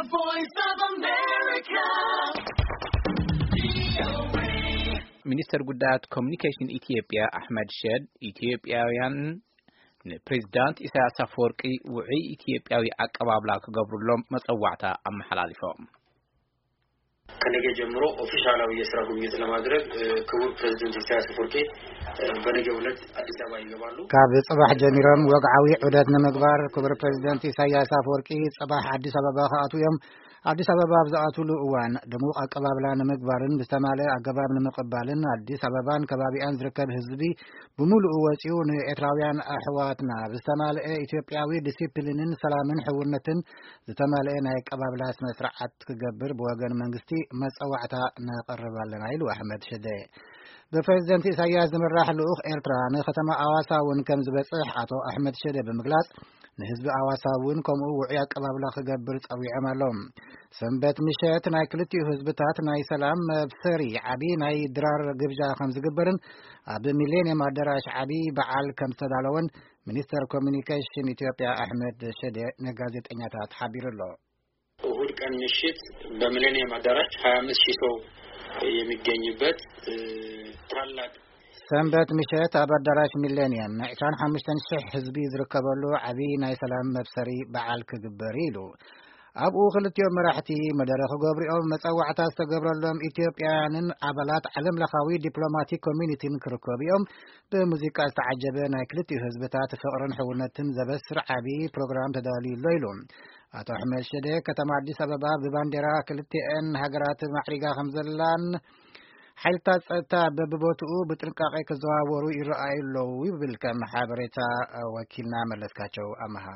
Voice of America. ሚኒስተር ጉዳያት ኮሚኒኬሽን ኢትዮጵያ ኣሕመድ ሸድ፣ ኢትዮጵያውያን ንፕሬዚዳንት ኢሳያስ ኣፈወርቂ ውዑይ ኢትዮጵያዊ ኣቀባብላ ክገብሩሎም መጸዋዕታ ኣመሓላሊፎም። ከነገ ጀምሮ ኦፊሻላዊ የስራ ጉብኝት ለማድረግ ክቡር ፕሬዚደንት ኢሳያስ ኣፈወርቂ በነገ ዕለት ኣዲስ ኣበባ ይገባሉ። ካብ ጽባሕ ጀሚሮም ወግዓዊ ዑደት ንምግባር ክቡር ፕሬዚደንት ኢሳያስ ኣፈወርቂ ጽባሕ ኣዲስ ኣበባ ክኣትዉ እዮም። ኣዲስ ኣበባ ኣብ ዝኣትውሉ እዋን ድሙቕ ኣቀባብላ ንምግባርን ብዝተማልአ ኣገባብ ንምቕባልን ኣዲስ ኣበባን ከባቢኣን ዝርከብ ህዝቢ ብምሉኡ ወጺኡ ንኤርትራውያን ኣሕዋትና ብዝተማልአ ኢትዮጵያዊ ዲሲፕሊንን ሰላምን ሕውነትን ዝተማልአ ናይ ኣቀባብላ ስነ ስርዓት ክገብር ብወገን መንግስቲ መጸዋዕታ ነቕርብ ኣለና ኢሉ ኣሕመድ ሽደ። ብፕሬዚደንት ኢሳያስ ዝምራሕ ልኡኽ ኤርትራ ንከተማ ኣዋሳ እውን ከም ዝበጽሕ ኣቶ ኣሕመድ ሽደ ብምግላጽ ንህዝቢ ኣዋሳ እውን ከምኡ ውዑይ ኣቀባብላ ክገብር ጸዊዖም ኣለዉ። ሰንበት ምሸት ናይ ክልቲኡ ህዝብታት ናይ ሰላም መብሰሪ ዓቢ ናይ ድራር ግብዣ ከም ዝግበርን ኣብ ሚሌኒየም ኣዳራሽ ዓቢ በዓል ከም ዝተዳለወን ሚኒስተር ኮሚኒኬሽን ኢትዮጵያ ኣሕመድ ሽደ ንጋዜጠኛታት ሓቢሩ ኣሎ። እሁድ ቀን ምሽት በሚሌኒየም አዳራሽ ሃያ አምስት ሺህ ሰው የሚገኝበት ታላቅ ሰንበት ምሸት ኣብ ኣዳራሽ ሚሌኒየም ዕስራን ሓሙሽተን ሽሕ ህዝቢ ዝርከበሉ ዓቢ ናይ ሰላም መብሰሪ በዓል ክግበር ኢሉ። ኣብኡ ክልቲኦም መራሕቲ መደረ ክገብሩ እዮም። መጸዋዕታ ዝተገብረሎም ኢትዮጵያውያንን ኣባላት ዓለም ለኻዊ ዲፕሎማቲክ ኮሚኒቲን ክርከቡ እዮም። ብሙዚቃ ዝተዓጀበ ናይ ክልቲኡ ህዝብታት ፍቕርን ሕውነትን ዘበስር ዓቢ ፕሮግራም ተዳልዩ ኣሎ ኢሉ። ኣቶ ኣሕመድ ሽደ፣ ከተማ ኣዲስ ኣበባ ብባንዴራ ክልቲኤን ሃገራት ማዕሪጋ ከም ዘላን ሓይልታት ጸጥታ በብቦትኡ ብጥንቃቄ ክዘዋወሩ ይረኣዩ ኣለዉ ይብል ከም ሓበሬታ ወኪልና መለስካቸው ኣመሃ።